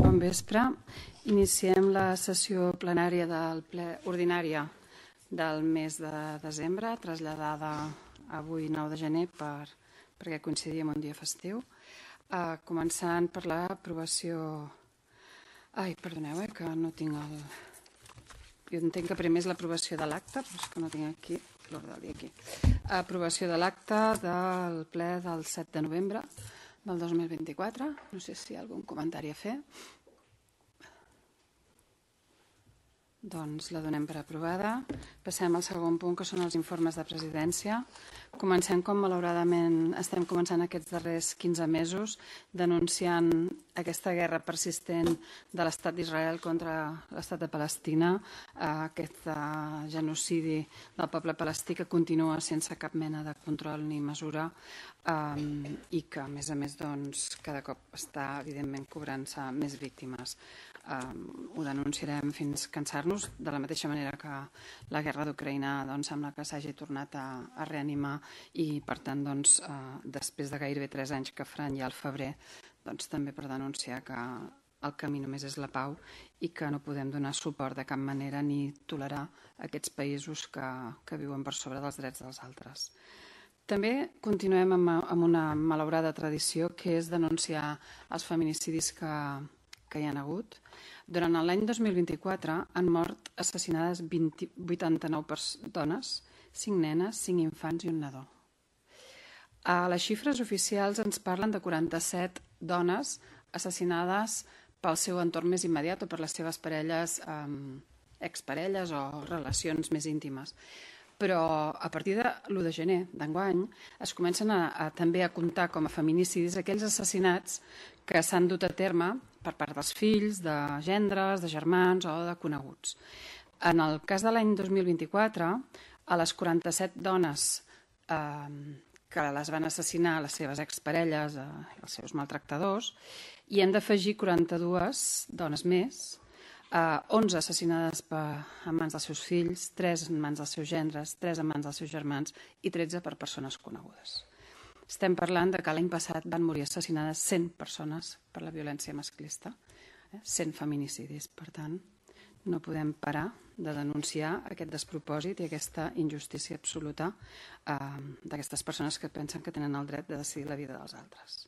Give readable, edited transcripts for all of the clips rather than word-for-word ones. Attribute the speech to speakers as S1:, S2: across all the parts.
S1: Bon vespre. Iniciem la sessió plenària del ple ordinària del mes de desembre, traslladada avui 9 de gener perquè coincidia amb un dia festiu. Començant per l'aprovació... perdoneu, que no tinc el... Jo entenc que primer és l'aprovació de l'acte, però és que no tinc aquí l'ordre del dia aquí. Aprovació de l'acte del ple del 7 de novembre del 2024. No sé si hi ha algun comentari a fer. Doncs la donem per aprovada. Passem al segon punt, que són els informes de presidència. Comencem com malauradament estem començant aquests darrers 15 mesos denunciant aquesta guerra persistent de l'estat d'Israel contra l'estat de Palestina, aquest genocidi del poble palestí que continua sense cap mena de control ni mesura i que a més cada cop està evidentment cobrant-se més víctimes. Ho denunciarem fins cansar-nos, de la mateixa manera que la guerra d'Ucraïna sembla que s'hagi tornat a reanimar i per tant després de gairebé 3 anys que faran ja al febrer, també per denunciar que el camí només és la pau i que no podem donar suport de cap manera ni tolerar aquests països que viuen per sobre dels drets dels altres. També continuem amb una malaurada tradició, que és denunciar els feminicidis que hi ha hagut. Durant l'any 2024 han mort assassinades 89 dones, 5 nenes, 5 infants i un nadó. Les xifres oficials ens parlen de 47 dones assassinades pel seu entorn més immediat o per les seves parelles, exparelles o relacions més íntimes. Però a partir de l'1 de gener d'enguany es comencen també a comptar com a feminicidis aquells assassinats que s'han dut a terme per part dels fills, de gendres, de germans o de coneguts. En el cas de l'any 2024, a les 47 dones que les van assassinar les seves exparelles, els seus maltractadors, hi hem d'afegir 42 dones més, 11 assassinades en mans dels seus fills, 3 en mans dels seus gendres, 3 en mans dels seus germans i 13 per persones conegudes. Estem parlant que l'any passat van morir assassinades 100 persones per la violència masclista, 100 feminicidis. Per tant, no podem parar de denunciar aquest despropòsit i aquesta injustícia absoluta d'aquestes persones que pensen que tenen el dret de decidir la vida dels altres.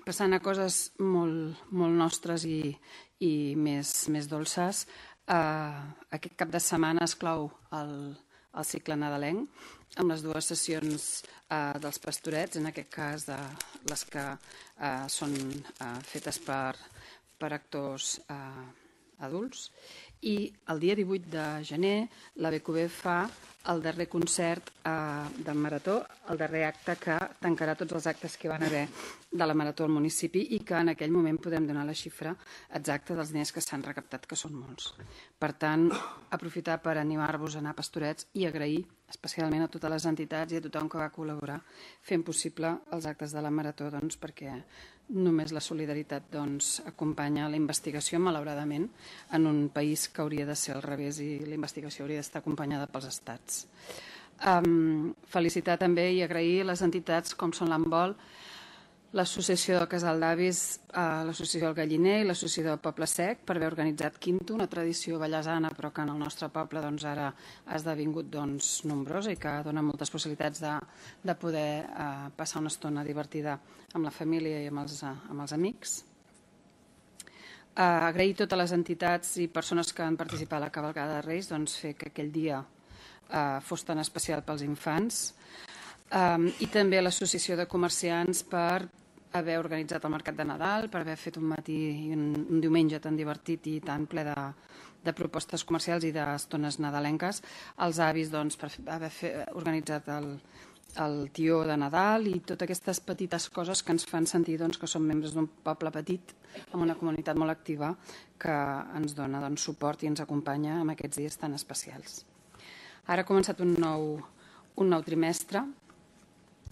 S1: Passant a coses molt nostres i més dolces, aquest cap de setmana es clou el cicle nadalenc amb les 2 sessions dels pastorets, en aquest cas de les que són fetes per actors adults. I el dia 18 de gener la BQB fa el darrer concert del Marató, el darrer acte que tancarà tots els actes que van haver de la Marató al municipi i que en aquell moment podem donar la xifra exacta dels diners que s'han recaptat, que són molts. Per tant, aprofitar per animar-vos a anar a Pastorets i agrair especialment a totes les entitats i a tothom que va col·laborar fent possible els actes de la Marató, perquè només la solidaritat acompanya la investigació, malauradament, en un país que hauria de ser al revés i la investigació hauria d'estar acompanyada pels estats. Felicitar també i agrair les entitats com són l'Embol, l'Associació del Casal d'Avis, l'Associació del Galliner i l'Associació del Poble Sec per haver organitzat Quinto, una tradició ballesana però que en el nostre poble ara ha esdevingut nombrosa i que dona moltes possibilitats de poder passar una estona divertida amb la família i amb els amics. Agrair a totes les entitats i persones que van participar a la cavalcada de Reis, fer que aquell dia fos tan especial pels infants, i també a l'Associació de Comerciants per haver organitzat el Mercat de Nadal, per haver fet un matí i un diumenge tan divertit i tan ple de propostes comercials i d'estones nadalenques, als avis per haver organitzat el tió de Nadal i totes aquestes petites coses que ens fan sentir que som membres d'un poble petit amb una comunitat molt activa que ens dona suport i ens acompanya en aquests dies tan especials. Ara ha començat un nou trimestre.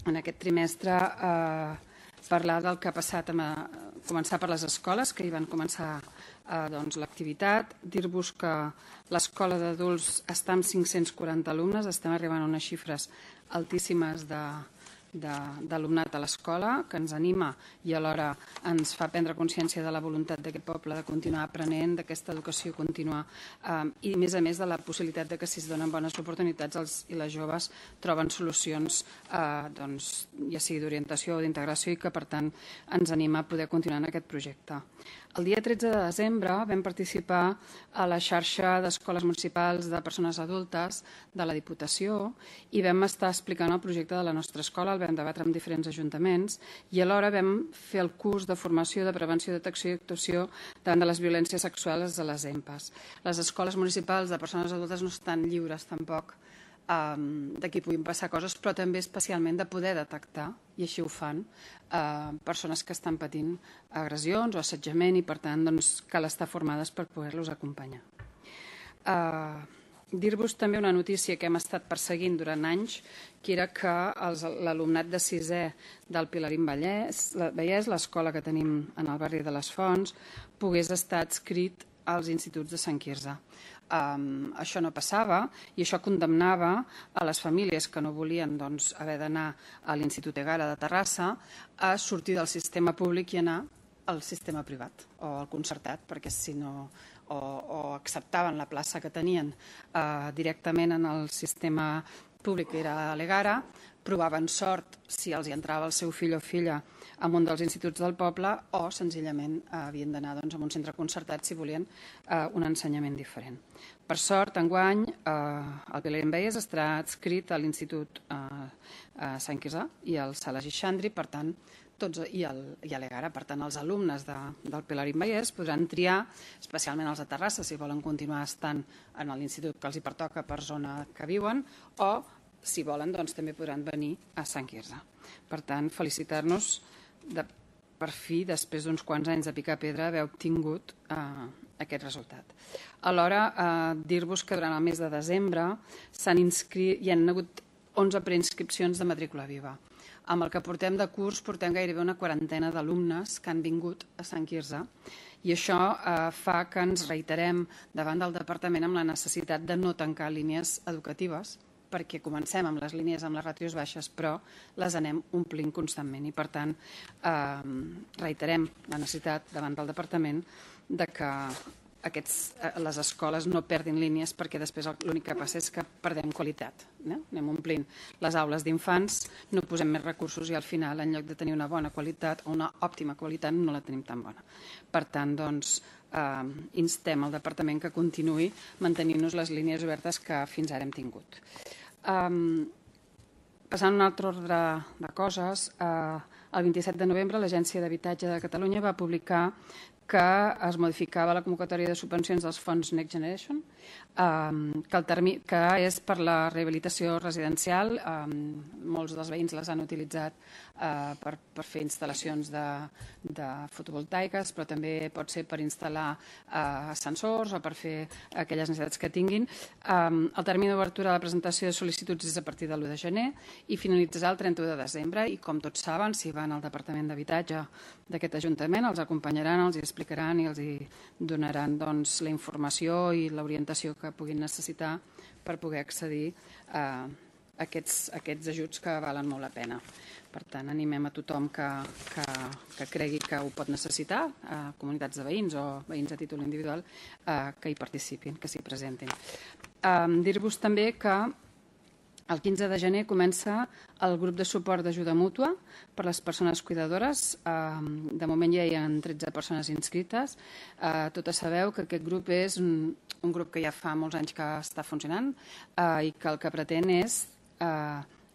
S1: En aquest trimestre parlar del que ha passat, començar per les escoles, que hi van començar l'activitat, dir-vos que l'escola d'adults està amb 540 alumnes, estem arribant a unes xifres altíssimes d'alumnat a l'escola, que ens anima i alhora ens fa prendre consciència de la voluntat d'aquest poble de continuar aprenent, d'aquesta educació contínua i, a més, de la possibilitat de que si es donen bones oportunitats els i les joves troben solucions ja sigui d'orientació o d'integració i que, per tant, ens anima a poder continuar en aquest projecte. El dia 13 de desembre vam participar a la xarxa d'escoles municipals de persones adultes de la Diputació i vam estar explicant el projecte de la nostra escola, el vam debatre amb diferents ajuntaments i alhora vam fer el curs de formació de prevenció, detecció i actuació davant de les violències sexuals a les EMPAs. Les escoles municipals de persones adultes no estan lliures tampoc de que puguin passar coses, però també especialment de poder detectar, i així ho fan, persones que estan patint agressions o assetjament i, per tant, cal estar formades per poder-los acompanyar. Dir-vos també una notícia que hem estat perseguint durant anys, que era que l'alumnat de sisè del Pilarín Vallès, l'escola que tenim en el barri de les Fonts, pogués estar adscrit als instituts de Sant Quirze. Això no passava i això condemnava a les famílies que no volien haver d'anar a l'Institut Egara de Terrassa a sortir del sistema públic i anar al sistema privat o al concertat, perquè si no o acceptaven la plaça que tenien directament en el sistema públic, que era a l'Egara, provaven sort si els hi entrava el seu fill o filla en un dels instituts del poble o senzillament havien d'anar a un centre concertat si volien un ensenyament diferent. Per sort, enguany, el Pilarín Vallès estarà adscrit a l'Institut Sant Quirze i al Sala Gixandri, per tant, i a l'Egara. Per tant, els alumnes del Pilarín Vallès podran triar, especialment els de Terrassa, si volen continuar estant en l'institut que els hi pertoca per zona que viuen, o, si volen, també podran venir a Sant Quirze. Per tant, felicitar-nos per fi, després d'uns quants anys de picar pedra, haver obtingut aquest resultat. Alhora, dir-vos que durant el mes de desembre hi han hagut 11 preinscripcions de matrícula viva. Amb el que portem de curs, portem gairebé una quarantena d'alumnes que han vingut a Sant Quirze i això fa que ens reiterem davant del departament amb la necessitat de no tancar línies educatives, perquè comencem amb les línies amb les ràtios baixes, però les anem omplint constantment i, per tant, reiterem la necessitat davant del departament de que les escoles no perdin línies, perquè després l'únic que passa és que perdem qualitat. Anem omplint les aules d'infants, no posem més recursos i al final, en lloc de tenir una bona qualitat o una òptima qualitat, no la tenim tan bona. Per tant, instem al departament que continuï mantenint-nos les línies obertes que fins ara hem tingut. Passant a un altre ordre de coses, el 27 de novembre l'Agència d'Habitatge de Catalunya va publicar que es modificava la convocatòria de subvencions dels fons Next Generation, que és per la rehabilitació residencial. Molts dels veïns les han utilitzat per fer instal·lacions de fotovoltaiques, però també pot ser per instal·lar ascensors o per fer aquelles necessitats que tinguin. El termini d'obertura de la presentació de sol·licituds és a partir de l'1 de gener i finalitzarà el 31 de desembre. I com tots saben, si van al Departament d'Habitatge d'aquest Ajuntament, els acompanyaran, els hi explicaran i els hi donaran la informació i l'orientació que puguin necessitar per poder accedir a aquests ajuts que valen molt la pena. Per tant, animem a tothom que cregui que ho pot necessitar, comunitats de veïns o veïns a títol individual, que hi participin, que s'hi presentin. Dir-vos també que el 15 de gener comença el grup de suport d'ajuda mútua per a les persones cuidadores. De moment ja hi ha 13 persones inscrites. Totes sabeu que aquest grup és un grup que ja fa molts anys que està funcionant i que el que pretén és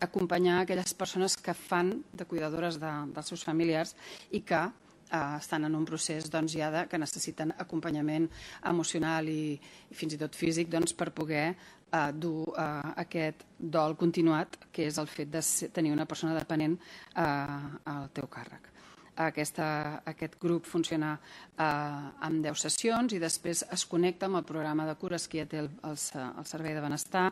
S1: acompanyar aquelles persones que fan de cuidadores dels seus familiars i que estan en un procés ja que necessiten acompanyament emocional i fins i tot físic per poder dur aquest dol continuat, que és el fet de tenir una persona dependent al teu càrrec. Aquest grup funciona amb 10 sessions i després es connecta amb el programa de cures que ja té el Servei de Benestar,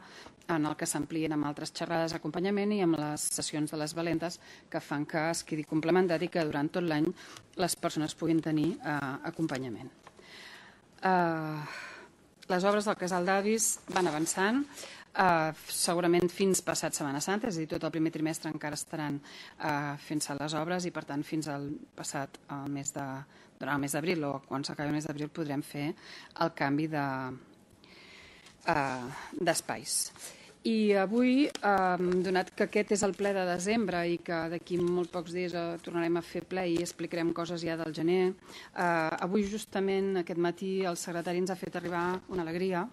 S1: en el que s'amplien amb altres xerrades d'acompanyament i amb les sessions de les valentes que fan que es quedi complementat i que durant tot l'any les persones puguin tenir acompanyament. Les obres del Casal d'Avis van avançant. segurament fins passat Setmana Santa, és a dir, tot el primer trimestre encara estaran fent-se les obres i, per tant, fins al passat durant el mes d'abril o quan s'acabi el mes d'abril podrem fer el canvi d'espais. I avui, donat que aquest és el ple de desembre i que d'aquí molt pocs dies tornarem a fer ple i explicarem coses ja del gener, avui justament aquest matí el secretari ens ha fet arribar una alegria,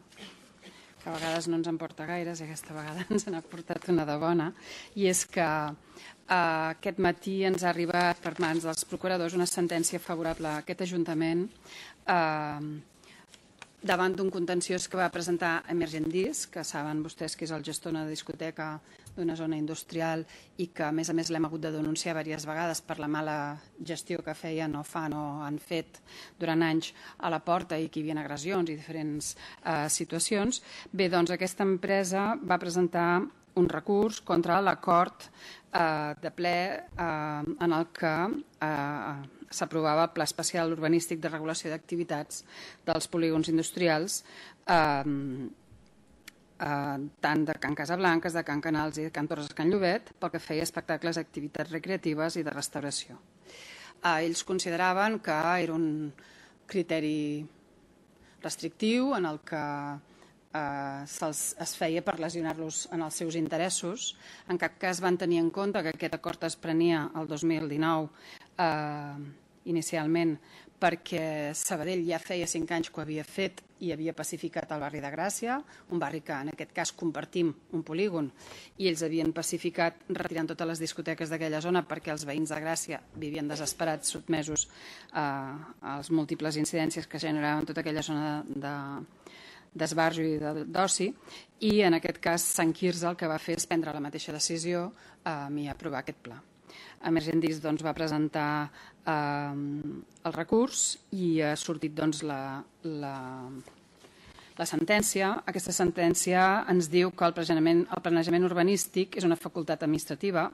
S1: que a vegades no ens en porta gaires i aquesta vegada ens n'ha portat una de bona, i és que aquest matí ens ha arribat per mans dels procuradors una sentència favorable a aquest Ajuntament davant d'un contenciós que va presentar Emergendis, que saben vostès que és el gestor d'una discoteca d'una zona industrial i que, a més l'hem hagut de denunciar diverses vegades per la mala gestió que feien o fan o han fet durant anys a la porta i que hi havia agressions i diferents situacions. Bé, doncs aquesta empresa va presentar un recurs contra l'acord de ple en el que s'aprovava el Pla Especial Urbanístic de Regulació d'Activitats dels polígons industrials tant de Can Casablanques, de Can Canals i de Can Torres de Can Llobet pel que feia espectacles, activitats recreatives i de restauració. Ells consideraven que era un criteri restrictiu en el que es feia per lesionar-los en els seus interessos. En cap cas van tenir en compte que aquest acord es prenia el 2019 inicialment perquè Sabadell ja feia 5 anys que ho havia fet i havia pacificat el barri de Gràcia, un barri que en aquest cas compartim un polígon, i ells havien pacificat retirant totes les discoteques d'aquella zona perquè els veïns de Gràcia vivien desesperats, sotmesos a les múltiples incidències que generaven tota aquella zona d'esbarjo i d'oci, i en aquest cas Sant Quirze el que va fer és prendre la mateixa decisió i aprovar aquest pla. Emergendis va presentar el recurs i ha sortit la sentència. Aquesta sentència ens diu que el planejament urbanístic és una facultat administrativa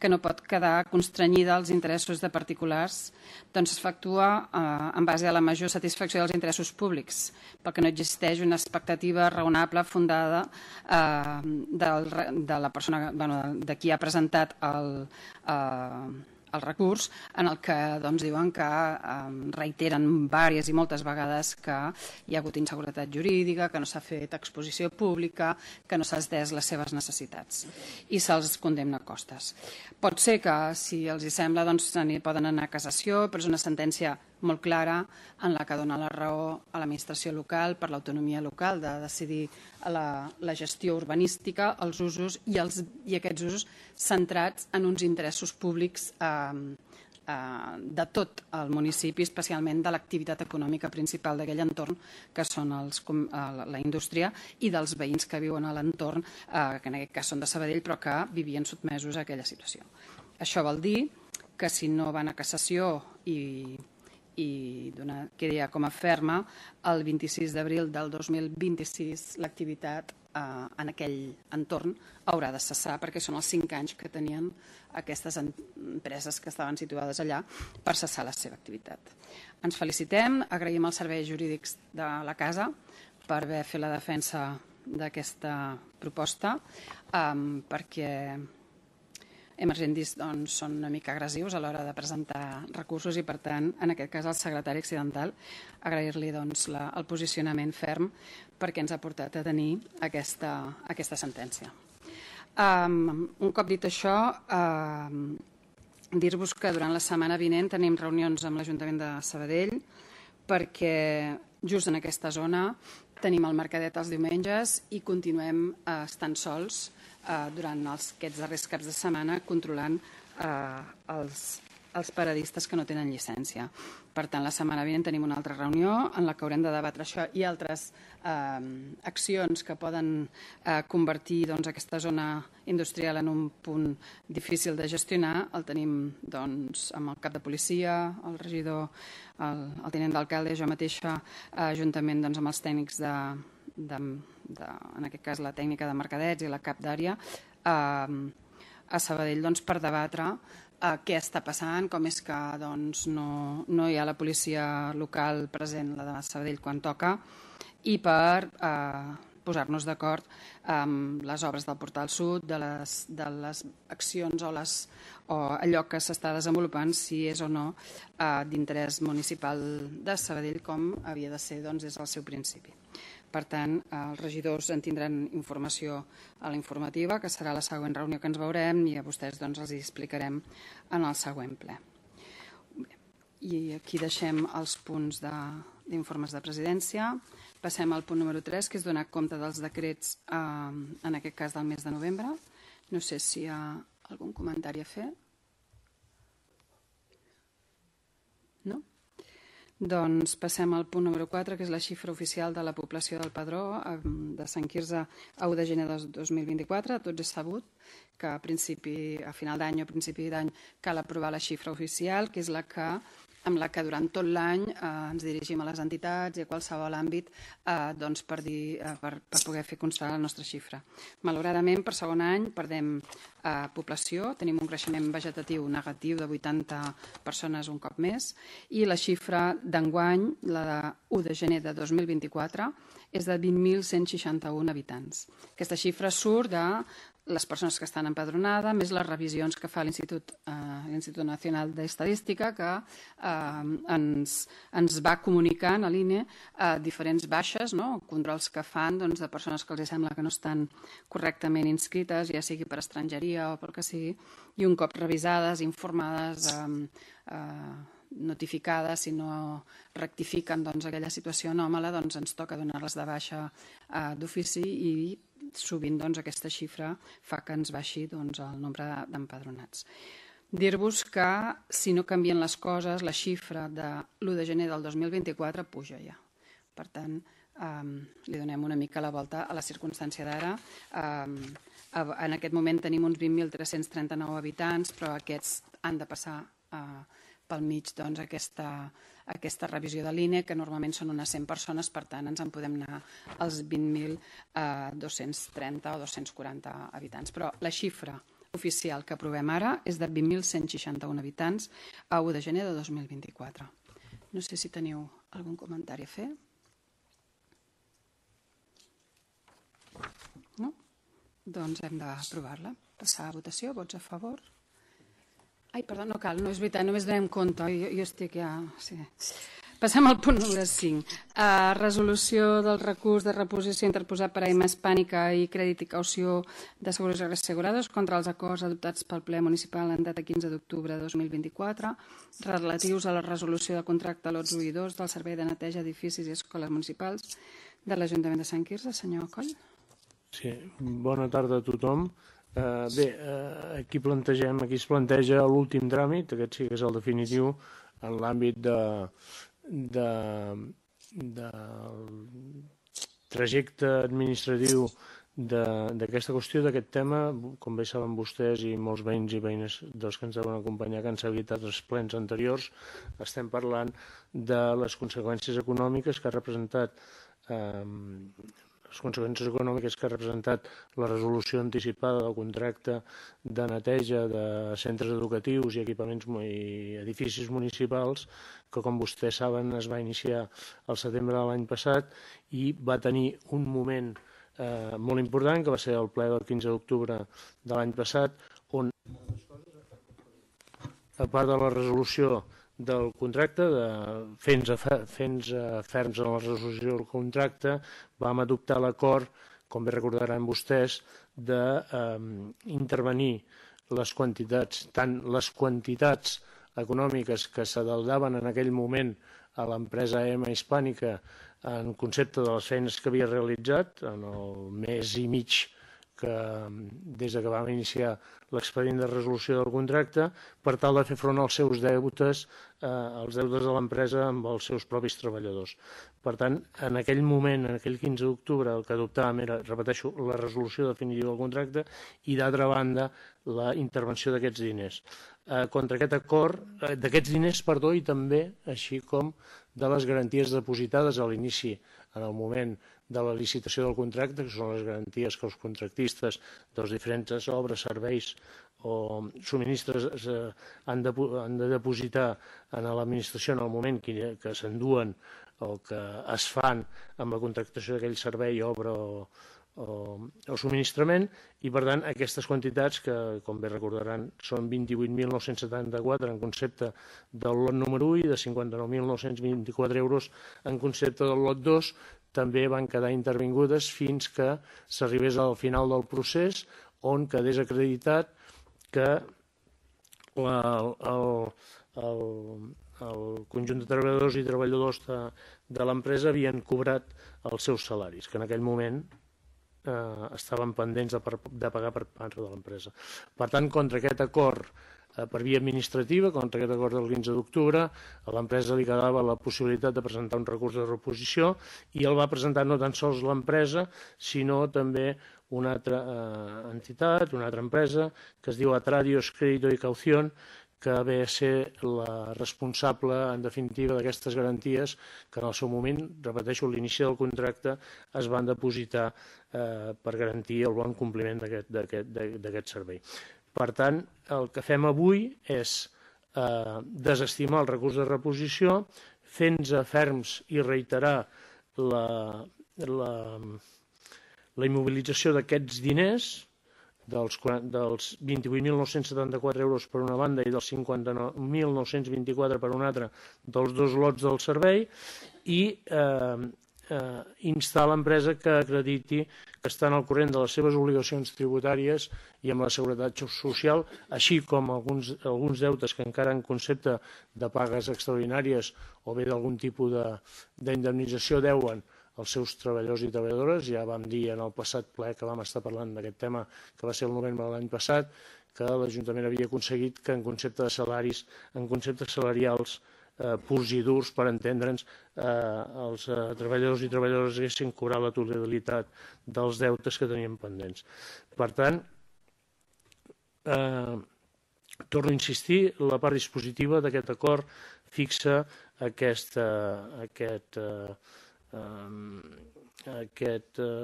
S1: que no pot quedar constrenyida als interessos de particulars, doncs efectua en base a la major satisfacció dels interessos públics, perquè no existeix una expectativa raonable fundada de la persona, de qui ha presentat el recurs, en el que diuen que reiteren diverses i moltes vegades que hi ha hagut inseguretat jurídica, que no s'ha fet exposició pública, que no s'ha atès les seves necessitats i se'ls condemna a costes. Pot ser que, si els hi sembla, poden anar a cassació, però és una sentència molt clara en la que dona la raó a l'administració local per l'autonomia local de decidir la gestió urbanística, els usos i aquests usos centrats en uns interessos públics de tot el municipi, especialment de l'activitat econòmica principal d'aquell entorn, que són la indústria, i dels veïns que viuen a l'entorn, que en aquest cas són de Sabadell, però que vivien sotmesos a aquella situació. Això vol dir que si no van a cassació i quedi ja com a ferma, el 26 d'abril del 2026 l'activitat en aquell entorn haurà de cessar, perquè són els 5 anys que tenien aquestes empreses que estaven situades allà per cessar la seva activitat. Ens felicitem, agraïm els serveis jurídics de la casa per haver fet la defensa d'aquesta proposta, perquè Emergendis són una mica agressius a l'hora de presentar recursos i, per tant, en aquest cas, al secretari accidental, agrair-li el posicionament ferm perquè ens ha portat a tenir aquesta sentència. Un cop dit això, dir-vos que durant la setmana vinent tenim reunions amb l'Ajuntament de Sabadell perquè just en aquesta zona tenim el mercadet els diumenges i continuem estant sols durant aquests darrers caps de setmana controlant els paradistes que no tenen llicència. Per tant, la setmana vinent tenim una altra reunió en la que haurem de debatre això i altres accions que poden convertir aquesta zona industrial en un punt difícil de gestionar. El tenim amb el cap de policia, el regidor, el tinent d'alcalde, jo mateixa, juntament amb els tècnics en aquest cas la tècnica de mercadets i la cap d'àrea a Sabadell per debatre què està passant, com és que no hi ha la policia local present, la de Sabadell, quan toca, i per posar-nos d'acord amb les obres del Portal Sud, de les accions o allò que s'està desenvolupant, si és o no d'interès municipal de Sabadell, com havia de ser des del seu principi. Per tant, els regidors en tindran informació a la informativa, que serà la següent reunió que ens veurem, i a vostès els hi explicarem en el següent ple. I aquí deixem els punts d'informes de presidència. Passem al punt número 3, que és donar compte dels decrets, en aquest cas del mes de novembre. No sé si hi ha algun comentari a fer. No? Doncs passem al punt número 4, que és la xifra oficial de la població del Padró de Sant Quirze a 1 de gener de 2024. Tots és sabut que a final d'any o principi d'any cal aprovar la xifra oficial, que és amb la que durant tot l'any ens dirigim a les entitats i a qualsevol àmbit per poder fer constar la nostra xifra. Malauradament, per segon any perdem població, tenim un creixement vegetatiu negatiu de 80 persones un cop més, i la xifra d'enguany, la de 1 de gener de 2024, és de 20.161 habitants. Aquesta xifra surt de les persones que estan empadronades, més les revisions que fa l'Institut Nacional d'Estadística, que ens va comunicant a l'INE diferents baixes, controls que fan de persones que els sembla que no estan correctament inscrites, ja sigui per estrangeria o pel que sigui, i un cop revisades, informades, notificades, si no rectifiquen aquella situació anòmala, ens toca donar-les de baixa d'ofici, i sovint aquesta xifra fa que ens baixi el nombre d'empadronats. Dir-vos que si no canvien les coses, la xifra de l'1 de gener del 2024 puja ja. Per tant, li donem una mica la volta a la circumstància d'ara. En aquest moment tenim uns 20.339 habitants, però aquests han de passar pel mig aquesta revisió de l'INE, que normalment són unes 100 persones, per tant ens en podem anar als 20.230 o 240 habitants. Però la xifra oficial que aprovem ara és de 20.161 habitants a 1 de gener de 2024. No sé si teniu algun comentari a fer. No? Doncs hem d'aprovar-la. Passar a votació. Vots a favor? Ai, perdó, no cal, no és veritat, només donem compte. Jo estic ja... Sí. Passem al punt número 5. Resolució del recurs de reposició interposat per AIMA Hispànica i crèdit i caució de seguros assegurades contra els acords adoptats pel ple municipal en data 15 d'octubre de 2024 relatius a la resolució de contracte lots 1 i 2 del Servei de Neteja d'Edificis i Escoles Municipals de l'Ajuntament de Sant Quirze. Senyor Coll. Sí,
S2: bona tarda a tothom. Bé, aquí es planteja l'últim tràmit, aquest sí que és el definitiu, en l'àmbit del trajecte administratiu d'aquesta qüestió, d'aquest tema. Com bé saben vostès i molts veïns i veïnes dels que ens deuen acompanyar, que han seguit els plens anteriors, estem parlant de les conseqüències econòmiques que ha representat la resolució anticipada del contracte de neteja de centres educatius i equipaments i edificis municipals, que, com vostès saben, es va iniciar al setembre de l'any passat i va tenir un moment molt important, que va ser el ple del 15 d'octubre de l'any passat, on, a part de la resolució del contracte, fent ferms en la resolució del contracte, vam adoptar l'acord, com bé recordaran vostès, d'intervenir les quantitats, tant les quantitats econòmiques que s'adeudaven en aquell moment a l'empresa AIMA Hispànica en concepte de les feines que havia realitzat en el mes i mig des que vam iniciar l'expedient de resolució del contracte, per tal de fer front als seus deutes, als deutes de l'empresa amb els seus propis treballadors. Per tant, en aquell moment, en aquell 15 d'octubre, el que adoptàvem era, repeteixo, la resolució definitiva del contracte i, d'altra banda, la intervenció d'aquests diners. Contra aquest acord, d'aquests diners, i també, així com de les garanties depositades a l'inici, en el moment de la licitació del contracte, que són les garanties que els contractistes de les diferents obres, serveis o subministres han de depositar en l'administració en el moment que s'enduen o que es fan amb la contractació d'aquell servei, obra o subministrament, i per tant aquestes quantitats, que com bé recordaran són 28.974 en concepte del lot número 1 i de 59.924 euros en concepte del lot 2, també van quedar intervingudes fins que s'arribés al final del procés, on quedés acreditat que el conjunt de treballadors i treballadors de l'empresa havien cobrat els seus salaris, que en aquell moment estaven pendents de pagar per part de l'empresa. Per tant, contra aquest acord per via administrativa, contra aquest acord del 15 d'octubre, a l'empresa li quedava la possibilitat de presentar un recurs de reposició, i el va presentar no tan sols l'empresa, sinó també una altra entitat, una altra empresa, que es diu Atradios Crédito y Caución, que ve a ser la responsable, en definitiva, d'aquestes garanties que en el seu moment, repeteixo, a l'inici del contracte es van depositar per garantir el bon compliment d'aquest servei. Per tant, el que fem avui és desestimar el recurs de reposició, fent-nos ferms i reiterar la immobilització d'aquests diners, dels 28.974 euros per una banda i dels 59.924 per una altra, dels dos lots del servei, i instar l'empresa que acrediti que estan al corrent de les seves obligacions tributàries i amb la seguretat social, així com alguns deutes que encara en concepte de pagues extraordinàries o bé d'algun tipus d'indemnització deuen els seus treballadors i treballadores. Ja vam dir en el passat ple que vam estar parlant d'aquest tema, que va ser el novembre de l'any passat, que l'Ajuntament havia aconseguit que en concepte de salaris, en conceptes salarials purs i durs, per entendre'ns, els treballadors i treballadores haguessin cobrat la totalitat dels deutes que tenien pendents. Per tant, torno a insistir, la part dispositiva d'aquest acord fixa aquest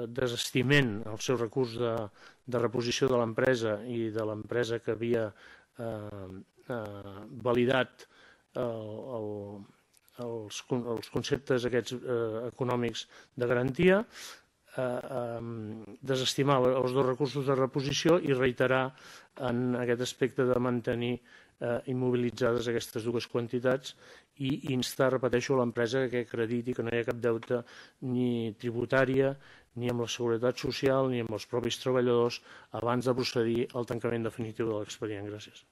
S2: desestiment al seu recurs de reposició de l'empresa i de l'empresa que havia validat els conceptes aquests econòmics de garantia, desestimar els dos recursos de reposició i reiterar en aquest aspecte de mantenir immobilitzades aquestes dues quantitats i instar, repeteixo, l'empresa que acrediti que no hi ha cap deute ni tributària, ni amb la seguretat social, ni amb els propis treballadors abans de procedir al tancament definitiu de l'expedient. Gràcies.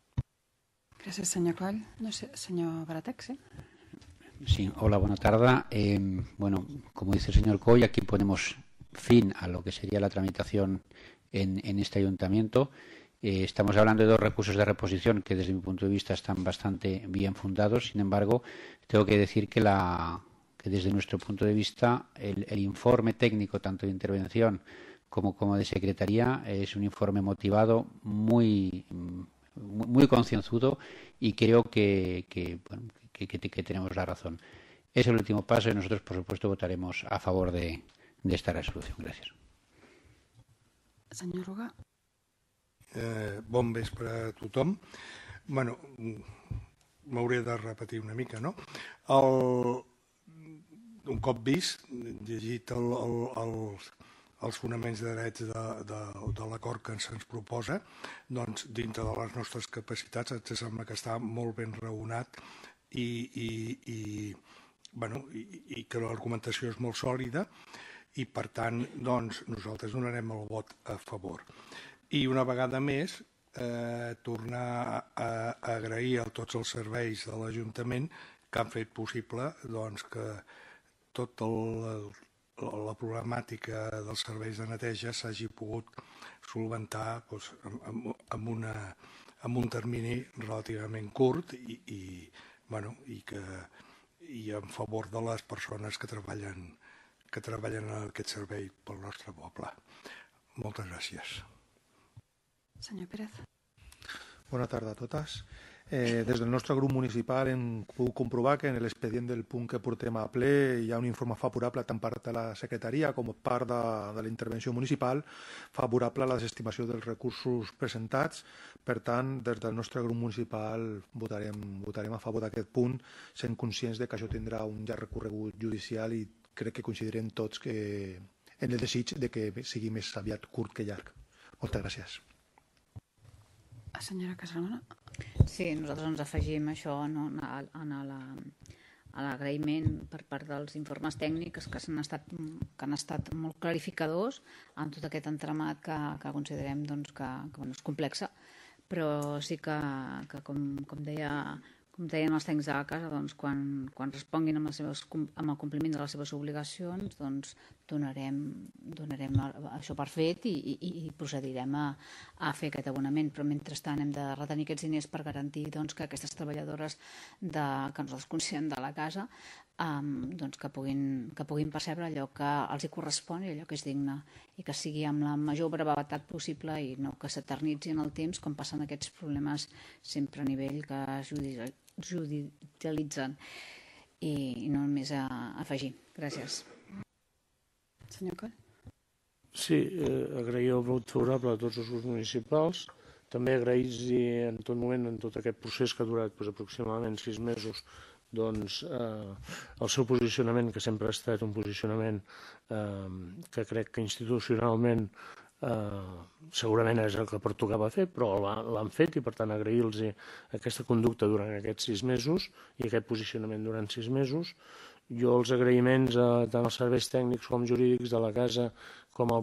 S1: Gràcies, senyor Coll. No sé, senyor Baratec, sí?
S3: Sí, hola, buena tarde. Bueno, como dice el señor Coll, aquí ponemos fin a lo que sería la tramitación en este ayuntamiento. Estamos hablando de dos recursos de reposición que desde mi punto de vista están bastante bien fundados. Sin embargo, tengo que decir que desde nuestro punto de vista el informe técnico, tanto de intervención como de secretaría, es un informe motivado, muy concienzudo, y creo que tenemos la razón. Es el último paso y nosotros, por supuesto, votaremos a favor de esta resolución. Gracias.
S1: Senyor Rugà.
S4: Bon vespre a tothom. Bueno, m'hauré de repetir una mica, no? Un cop vist, llegit els fonaments de drets de l'acord que se'ns proposa, doncs, dintre de les nostres capacitats, ens sembla que està molt ben raonat i que l'argumentació és molt sòlida, i per tant, doncs, nosaltres donarem el vot a favor. I una vegada més, tornar a agrair a tots els serveis de l'Ajuntament que han fet possible que tota la problemàtica dels serveis de neteja s'hagi pogut solventar en un termini relativament curt i en favor de les persones que treballen en aquest servei pel nostre poble. Moltes gràcies.
S1: Senyor Pérez.
S5: Bona tarda a totes.
S4: Des del nostre grup municipal hem pogut comprovar que en l'expedient del punt que portem a ple hi ha un informe favorable tant per part de la secretaria com per part de la intervenció municipal favorable a les estimacions dels recursos presentats. Per tant, des del nostre grup municipal votarem a favor d'aquest punt, sent conscients de que això tindrà un llarg recorregut judicial i crec que coincidirem tots en el desig de que sigui més aviat curt que llarg. Moltes gràcies.
S1: Senyora Casalona.
S5: Sí, nosaltres ens afegim això a l'agraïment per part dels informes tècnics que han estat molt clarificadors en tot aquest entramat que considerem que és complex, però sí que com deien els tècnics de la casa, quan responguin amb el compliment de les seves obligacions, donarem això per fet i procedirem a fer aquest abonament. Però mentrestant hem de retenir aquests diners per garantir que aquestes treballadores que nosaltres considerem de la casa que puguin percebre allò que els hi correspon i allò que és digne i que sigui amb la major brevetat possible i no que s'eternitzi en el temps com passen aquests problemes sempre a nivell que es judicialitzen. I no només a afegir. Gràcies.
S1: Senyor Coll.
S2: Sí, agrair el vot favorable a tots els grups municipals. També agrair en tot moment, en tot aquest procés que ha durat aproximadament 6 mesos, el seu posicionament, que sempre ha estat un posicionament que crec que institucionalment segurament és el que pertocava fer, però l'han fet i per tant agrair-los aquesta conducta durant aquests 6 mesos i aquest posicionament durant 6 mesos. Jo els agraïments tant als serveis tècnics com jurídics de la casa com a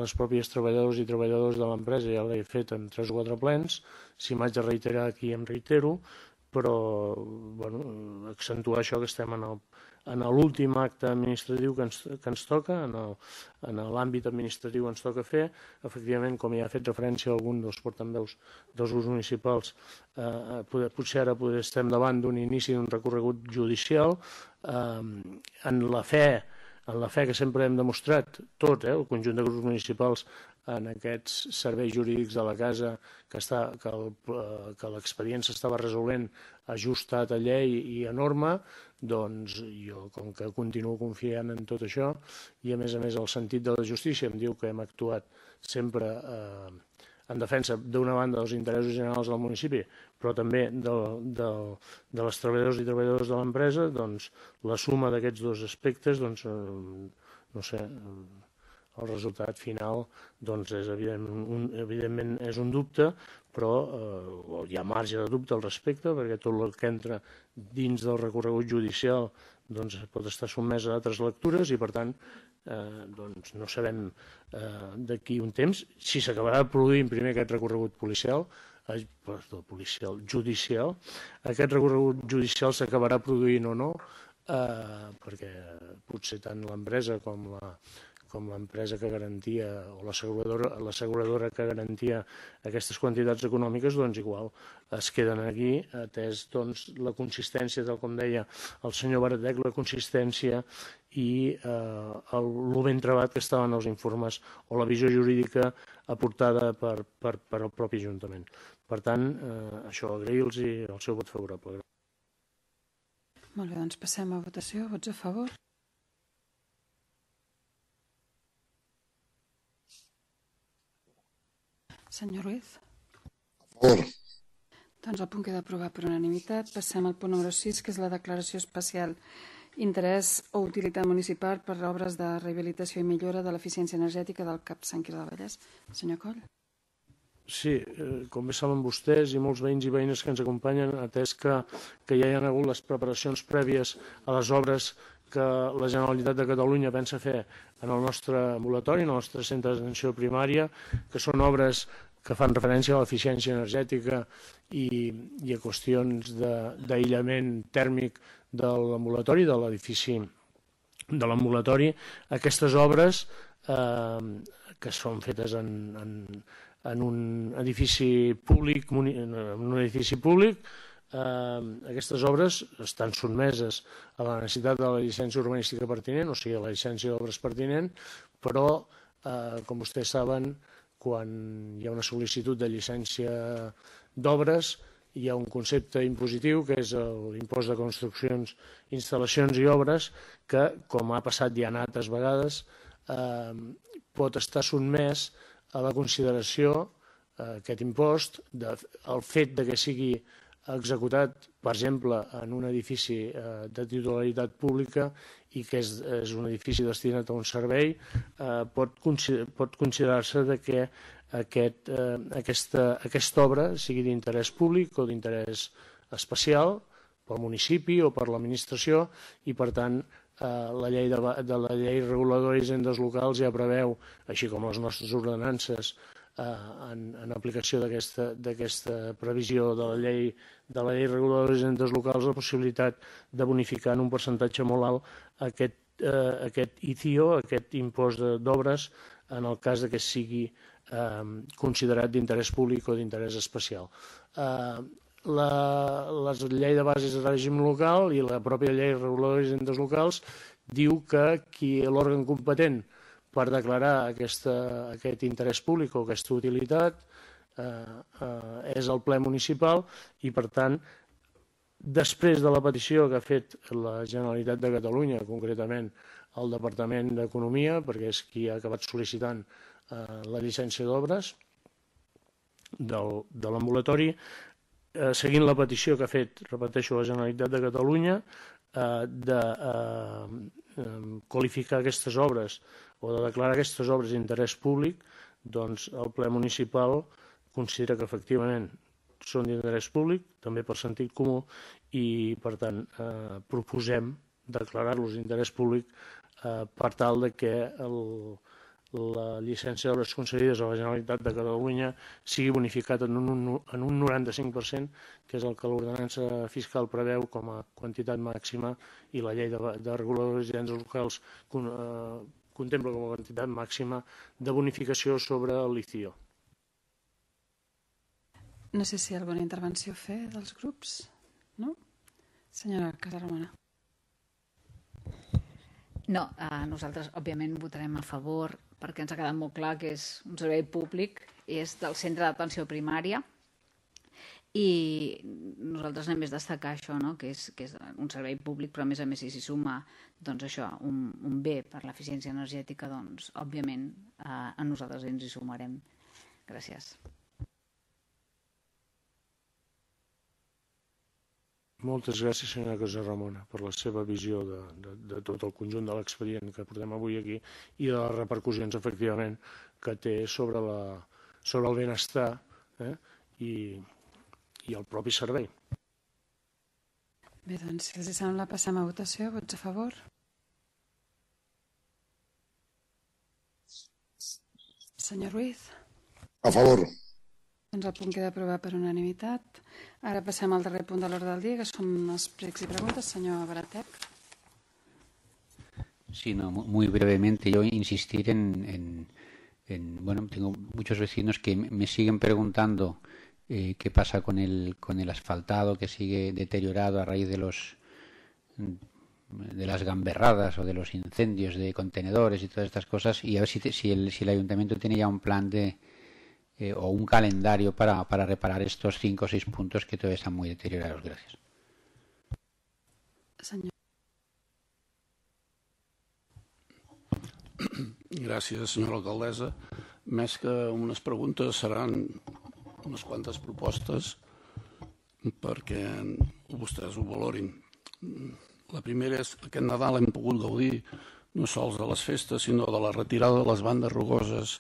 S2: les pròpies treballadors i treballadors de l'empresa ja l'he fet en 3 o 4 plens. Si m'haig de reiterar aquí em reitero, però accentuar això que estem en l'últim acte administratiu que ens toca, en l'àmbit administratiu ens toca fer. Efectivament, com ja ha fet referència algun dels portaveus dels grups municipals, potser ara estem davant d'un inici d'un recorregut judicial en la fe que sempre hem demostrat tot, el conjunt de grups municipals en aquests serveis jurídics de la casa que l'expedient s'estava resolent ajustat a llei i a norma, doncs jo com que continuo confiant en tot això i a més el sentit de la justícia em diu que hem actuat sempre en defensa d'una banda dels interessos generals del municipi però també de les treballadors i treballadors de l'empresa, doncs la suma d'aquests dos aspectes, doncs no sé, el resultat final doncs evidentment és un dubte, però hi ha marge de dubte al respecte perquè tot el que entra dins del recorregut judicial doncs pot estar sotmès a altres lectures i per tant doncs no sabem d'aquí un temps si s'acabarà produint primer aquest recorregut judicial. Aquest recorregut judicial s'acabarà produint o no perquè potser tant l'empresa com l'empresa que garantia o l'asseguradora que garantia aquestes quantitats econòmiques, doncs igual es queden aquí, atès la consistència, tal com deia el senyor Baratec, la consistència i el ben trebat que estaven els informes o la visió jurídica aportada per el propi Ajuntament. Per tant, això, agrair-los el seu vot favorable.
S1: Molt bé, doncs passem a votació. Vots a favor? Senyor Ruiz?
S6: A favor.
S1: Doncs el punt queda aprovat per unanimitat. Passem al punt número 6, que és la declaració especial interès o utilitat municipal per obres de rehabilitació i millora de l'eficiència energètica del CAP Sant Quirze del Vallès. Senyor Coll?
S2: Sí, com bé saben vostès i molts veïns i veïnes que ens acompanyen, atès que ja hi ha hagut les preparacions prèvies a les obres que la Generalitat de Catalunya pensa fer en el nostre ambulatori, en el nostre centre d'atenció primària, que són obres que fan referència a l'eficiència energètica i a qüestions d'aïllament tèrmic de l'ambulatori, de l'edifici de l'ambulatori. Aquestes obres que són fetes en un edifici públic, aquestes obres estan sotmeses a la necessitat de la llicència urbanística pertinent, o sigui, a la llicència d'obres pertinent, però, com vostès saben, quan hi ha una sol·licitud de llicència d'obres, hi ha un concepte impositiu que és l'impost de construccions, instal·lacions i obres que, com ha passat ja en altres vegades, pot estar sotmès a la consideració, aquest impost, el fet que sigui executat, per exemple, en un edifici de titularitat pública i que és un edifici destinat a un servei, pot considerar-se que aquesta obra sigui d'interès públic o d'interès especial pel municipi o per l'administració i, per tant, la llei reguladora d'hisendes locals ja preveu, així com les nostres ordenances, en aplicació d'aquesta previsió de la llei reguladora d'hisendes locals, la possibilitat de bonificar en un percentatge molt alt aquest ICIO, aquest impost d'obres, en el cas que sigui considerat d'interès públic o d'interès especial. La llei de bases de règim local i la pròpia llei reguladora d'hisendes locals diu que l'òrgan competent per declarar aquest interès públic o aquesta utilitat és el ple municipal i, per tant, després de la petició que ha fet la Generalitat de Catalunya, concretament el Departament d'Economia, perquè és qui ha acabat sol·licitant la llicència d'obres de l'ambulatori, seguint la petició que ha fet, repeteixo, la Generalitat de Catalunya, de qualificar aquestes obres o de declarar aquestes obres d'interès públic, doncs el ple municipal considera que efectivament són d'interès públic, també per sentit comú, i per tant proposem declarar-los d'interès públic per tal que la llicència d'obres concedides a la Generalitat de Catalunya sigui bonificat en un 95%, que és el que l'ordenança fiscal preveu com a quantitat màxima i la llei de reguladors d'hisendes locals contempla com a quantitat màxima de bonificació sobre el LICIO.
S1: No sé si hi ha alguna intervenció a fer dels grups. No? Senyora Casaramona.
S5: No, nosaltres òbviament votarem a favor perquè ens ha quedat molt clar que és un servei públic, és del centre d'atenció primària i nosaltres anem més a destacar això, no? que és un servei públic, però a més si s'hi suma doncs això, un bé per l'eficiència energètica, doncs òbviament a nosaltres ens hi sumarem. Gràcies.
S2: Moltes gràcies, senyora Casaramona, per la seva visió de tot el conjunt de l'expedient que portem avui aquí i de les repercussions, efectivament, que té sobre el benestar i el propi servei.
S1: Bé, doncs, si els sembla, passem a votació. Vots a favor? Senyor Ruiz?
S6: A favor.
S1: Doncs el punt queda aprovat per unanimitat. Ara passem al darrer punt de l'ordre del dia, que són els pregs i preguntes. Senyor Baratec.
S3: Sí, no, muy brevemente. Yo insistir bueno, tengo muchos vecinos que me siguen preguntando qué pasa con el asfaltado que sigue deteriorado a raíz de las gamberradas o de los incendios de contenedores y todas estas cosas, y a ver si el ayuntamiento tiene ya un plan o un calendario para reparar estos 5 o 6 puntos que todavía están muy deteriorados. Gracias.
S1: Senyor.
S7: Gràcies, senyora alcaldessa. Més que unes preguntes seran unes quantes propostes perquè vostès ho valorin. La primera és que aquest Nadal hem pogut gaudir no sols de les festes, sinó de la retirada de les bandes rugoses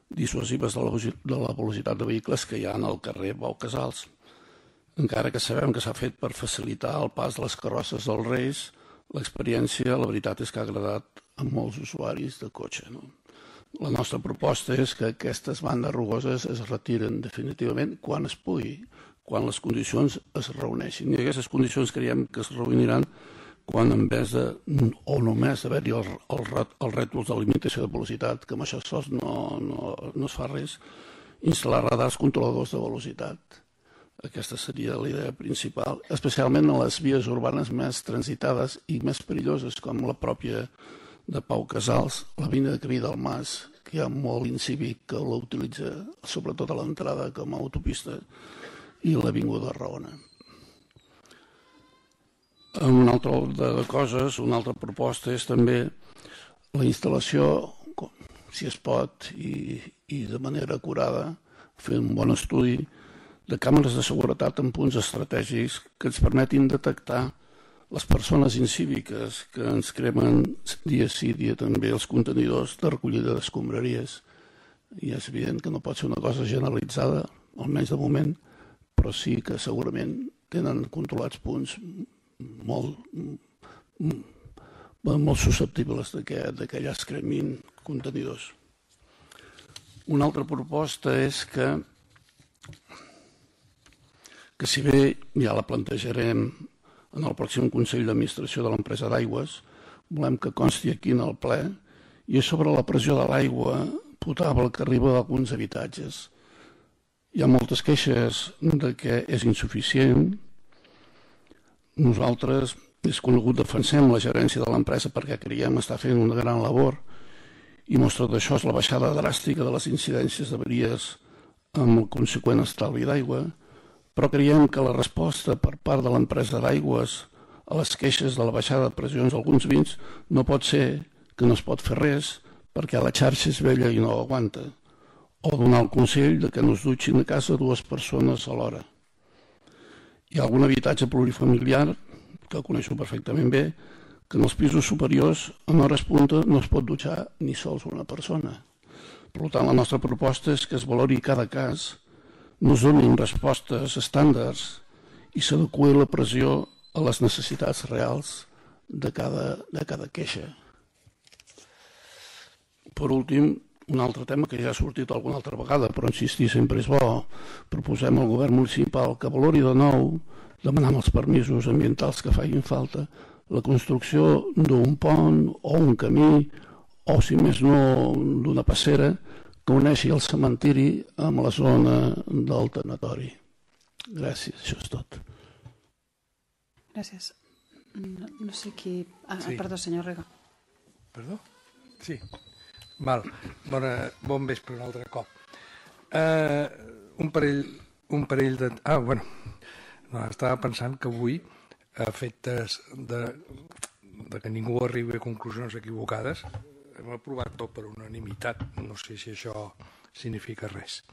S7: dissuasives de la velocitat de vehicles que hi ha al carrer Pau Casals. Encara que sabem que s'ha fet per facilitar el pas de les carrosses dels Reis, l'experiència, la veritat és que ha agradat a molts usuaris de cotxe. La nostra proposta és que aquestes bandes rugoses es retiren definitivament quan es pugui, quan les condicions es reuneixin. I aquestes condicions creiem que es reuniran quan en vez de, o només haver-hi els rètols de limitació de velocitat, que amb això sols no es fa res, instal·lar radars controladors de velocitat. Aquesta seria la idea principal, especialment a les vies urbanes més transitades i més perilloses, com la pròpia de Pau Casals, la vina de Camí del Mas, que hi ha molt incívic que l'utilitza, sobretot a l'entrada com a autopista, i l'Avinguda Raona. Un altre ordre de coses, una altra proposta és també la instal·lació, si es pot, i de manera acurada, fer un bon estudi de càmeres de seguretat en punts estratègics que ens permetin detectar les persones incíviques que ens cremen dia sí, dia també els contenidors de recollida d'escombraries. I és evident que no pot ser una cosa generalitzada, almenys de moment, però sí que segurament tenen controlats punts molt susceptibles que allà es cremin contenidors. Una altra proposta és que si bé ja la plantejarem en el pròxim Consell d'Administració de l'empresa d'aigües, volem que consti aquí en el ple, i és sobre la pressió de l'aigua potable que arriba a alguns habitatges. Hi ha moltes queixes de que és insuficient. Nosaltres, és conegut, defensem la gerència de l'empresa perquè creiem estar fent una gran labor, i mostra d'això és la baixada dràstica de les incidències d'avaries amb el conseqüent estalvi d'aigua, però creiem que la resposta per part de l'empresa d'aigües a les queixes de la baixada de pressions d'alguns vins no pot ser que no es pot fer res perquè la xarxa és vella i no aguanta, o donar el consell de que no es dutxin a casa dues persones alhora. Hi ha algun habitatge plurifamiliar, que coneixo perfectament bé, que en els pisos superiors en hores punta no es pot dutxar ni sols una persona. Per tant, la nostra proposta és que es valori cada cas, no es donin respostes estàndards i s'adeqüi la pressió a les necessitats reals de cada queixa. Per últim, un altre tema que ja ha sortit alguna altra vegada, però insistir sempre és bo. Proposem al govern municipal que valori de nou, demanant els permisos ambientals que facin falta, la construcció d'un pont o un camí, o si més no d'una passera, que uneixi el cementiri amb la zona del tanatori. Gràcies, això és tot.
S1: Gràcies. No sé qui...
S4: Sí.
S1: Perdó, senyor Rega.
S4: Perdó? Sí. Val. Bon vespre un altre cop. Un parell de... bueno, estava pensant que avui, a efectes de que ningú arribi a conclusions equivocades, hem aprovat tot per unanimitat. No sé si això significa res.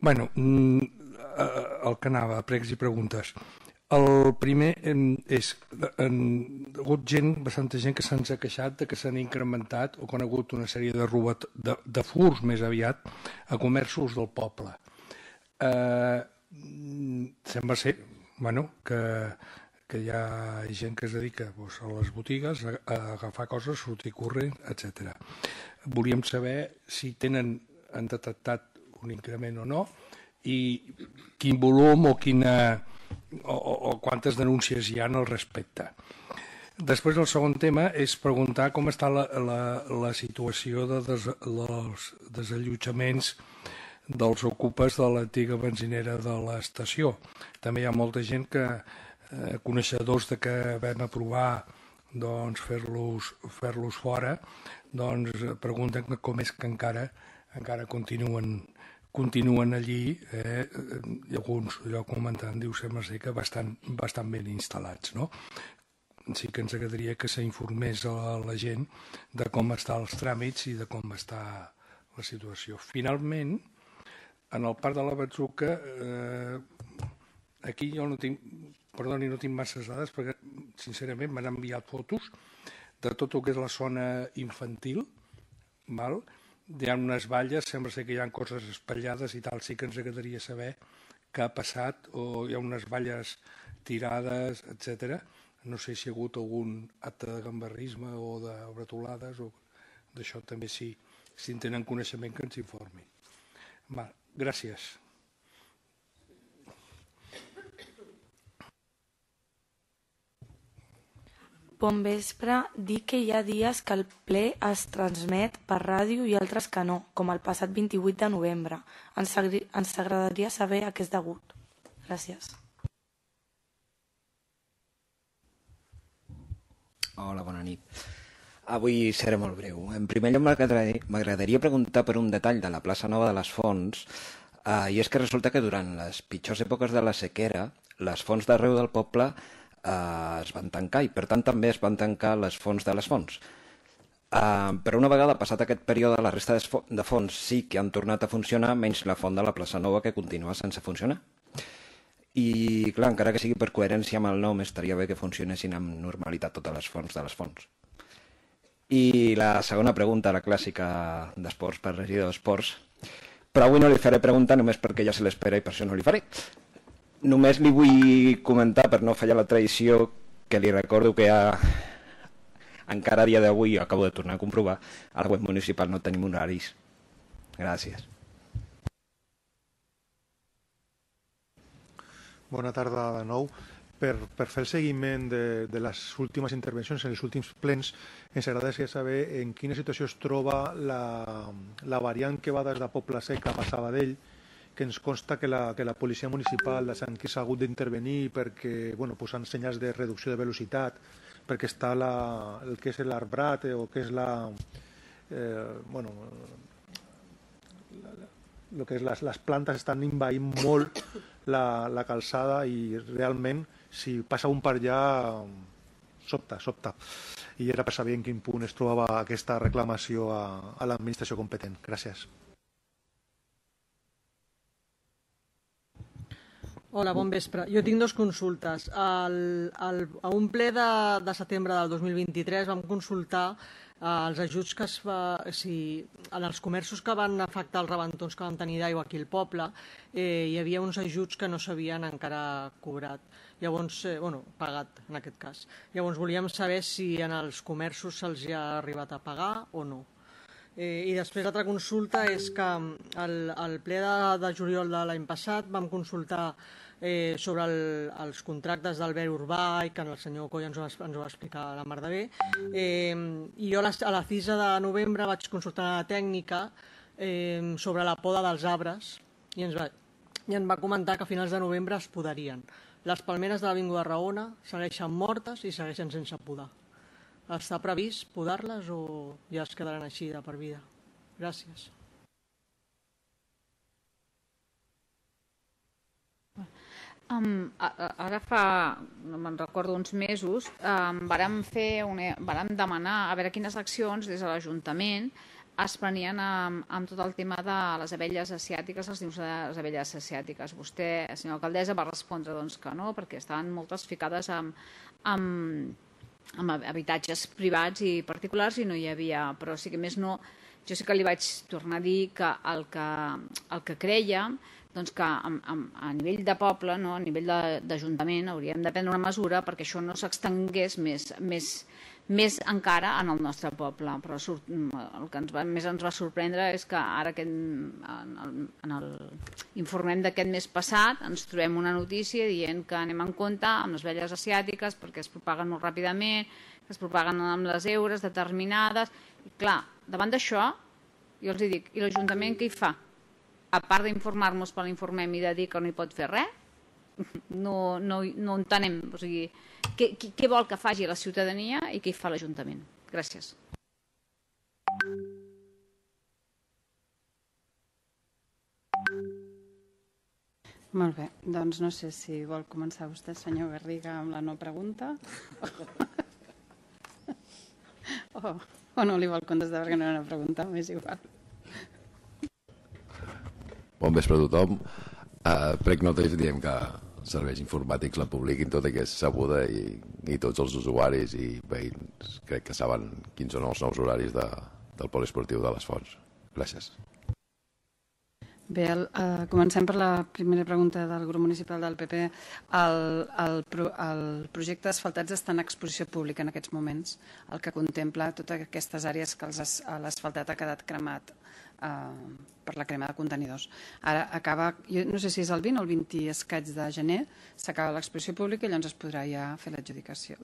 S4: Bueno, el que anava, pregs i preguntes. El primer és, ha hagut bastanta gent que se'ns ha queixat de que s'han incrementat o que han hagut una sèrie de furs més aviat a comerços del poble. Sembla ser, que hi ha gent que es dedica a les botigues a agafar coses, sortir corrent, etc. Volíem saber si han detectat un increment o no i quin volum o quantes denúncies hi ha al respecte. Després el segon tema és preguntar com està la situació dels desallotjaments dels ocupes de l'antiga benzinera de l'estació. També hi ha molta gent que, coneixedors de que vam aprovar fer-los fora, pregunten com és que encara continuen allí, i alguns allò comentant, sembla ser que bastant ben instal·lats, no? Sí que ens agradaria que s'informés a la gent de com estan els tràmits i de com està la situació. Finalment, en el parc de la Batzuca, aquí jo no tinc masses dades perquè, sincerament, m'han enviat fotos de tot el que és la zona infantil, val? Hi ha unes valles, sembla ser que hi ha coses espatllades i tal, sí que ens agradaria saber què ha passat, o hi ha unes valles tirades, etc. No sé si hi ha hagut algun acte de gambarrisme o de bretolades, o d'això també si en tenen coneixement que ens informin. Gràcies.
S6: Bon vespre. Dic que hi ha dies que el ple es transmet per ràdio i altres que no, com el passat 28 de novembre. Ens agradaria saber a què és degut. Gràcies.
S8: Hola, bona nit. Avui seré molt breu. En primer lloc, m'agradaria preguntar per un detall de la plaça Nova de les Fonts. I és que resulta que durant les pitjors èpoques de la sequera, les fonts d'arreu del poble es van tancar i per tant també es van tancar les fonts de les fonts. Però una vegada passat aquest període, la resta de fonts sí que han tornat a funcionar, menys la font de la plaça Nova, que continua sense funcionar. I clar, encara que sigui per coherència amb el nom, estaria bé que funcionessin amb normalitat totes les fonts de les fonts. I la segona pregunta, la clàssica d'esports per regidor d'esports, però avui no li faré pregunta només perquè ja se l'espera i per això no li faré. Només li vull comentar, per no fallar la tradició, que li recordo que encara a dia d'avui, acabo de tornar a comprovar, a la web municipal no tenim horaris. Gràcies.
S9: Bona tarda de nou. Per fer el seguiment de les últimes intervencions en els últims plens, ens agradaria saber en quina situació es troba la variant que va des de Pobla Seca a Sabadell, que ens consta que la policia municipal de Sant Quirze ha hagut d'intervenir perquè posant senyals de reducció de velocitat, perquè està el que és l'arbrat o que és el que és les plantes estan envaint molt la calçada i realment si passa un per allà sobta. I era per saber en quin punt es trobava aquesta reclamació a l'administració competent. Gràcies.
S10: Hola, bon vespre. Jo tinc dues consultes. A un ple de setembre del 2023 vam consultar els ajuts que es fa, en els comerços que van afectar els rebentons que vam tenir d'aigua aquí al poble, hi havia uns ajuts que no s'havien encara cobrat. Llavors, pagat en aquest cas. Llavors volíem saber si en els comerços se'ls ha arribat a pagar o no. I després l'altra consulta és que al ple de juliol de l'any passat vam consultar sobre els contractes d'Albert Urbà i que el senyor Coll ens ho va explicar la mar de bé. I jo a la 6 de novembre vaig consultar la tècnica sobre la poda dels arbres i ens va comentar que a finals de novembre es podarien. Les palmeres de l'Avinguda Raona segueixen mortes i segueixen sense podar. Està previst podar-les o ja es quedaran així de per vida? Gràcies.
S5: Ara fa, no me'n recordo, uns mesos, vàrem demanar a veure quines accions des de l'Ajuntament es prenien amb tot el tema de les abelles asiàtiques, els nius de les abelles asiàtiques. Vostè, senyora alcaldessa, va respondre que no, perquè estaven moltes ficades amb habitatges privats i particulars i no hi havia, però sí que més no, jo sí que li vaig tornar a dir que el que creiem que a nivell de poble, a nivell d'Ajuntament, hauríem de prendre una mesura perquè això no s'extengués més encara en el nostre poble. Però el que més ens va sorprendre és que ara en l'informem d'aquest mes passat ens trobem una notícia dient que anem en compte amb les abelles asiàtiques perquè es propaguen molt ràpidament, que es propaguen amb les eures determinades. I clar, davant d'això, jo els dic, i l'Ajuntament què hi fa? A part d'informar-nos per l'informem i de dir que no hi pot fer res, no entenem. O sigui, què vol que faci la ciutadania i què hi fa l'Ajuntament? Gràcies.
S1: Molt bé, doncs no sé si vol començar vostè, senyor Garriga, amb la no pregunta o no li vol contestar perquè no era una pregunta, m'és igual.
S11: Bon vespre a tothom. Prec nosaltres diem que els serveis informàtics la publiquin tota que és sabuda i tots els usuaris i veïns crec que saben quins són els nous horaris del poliesportiu de les Fonts. Gràcies.
S1: Bé, comencem per la primera pregunta del grup municipal del PP. El projecte d'asfaltats està en exposició pública en aquests moments, el que contempla totes aquestes àrees que l'asfaltat ha quedat cremat per la crema de contenidors. Ara acaba, jo no sé si és el 20 o el 20 i escaig de gener, s'acaba l'exposició pública i llavors es podrà ja fer l'adjudicació.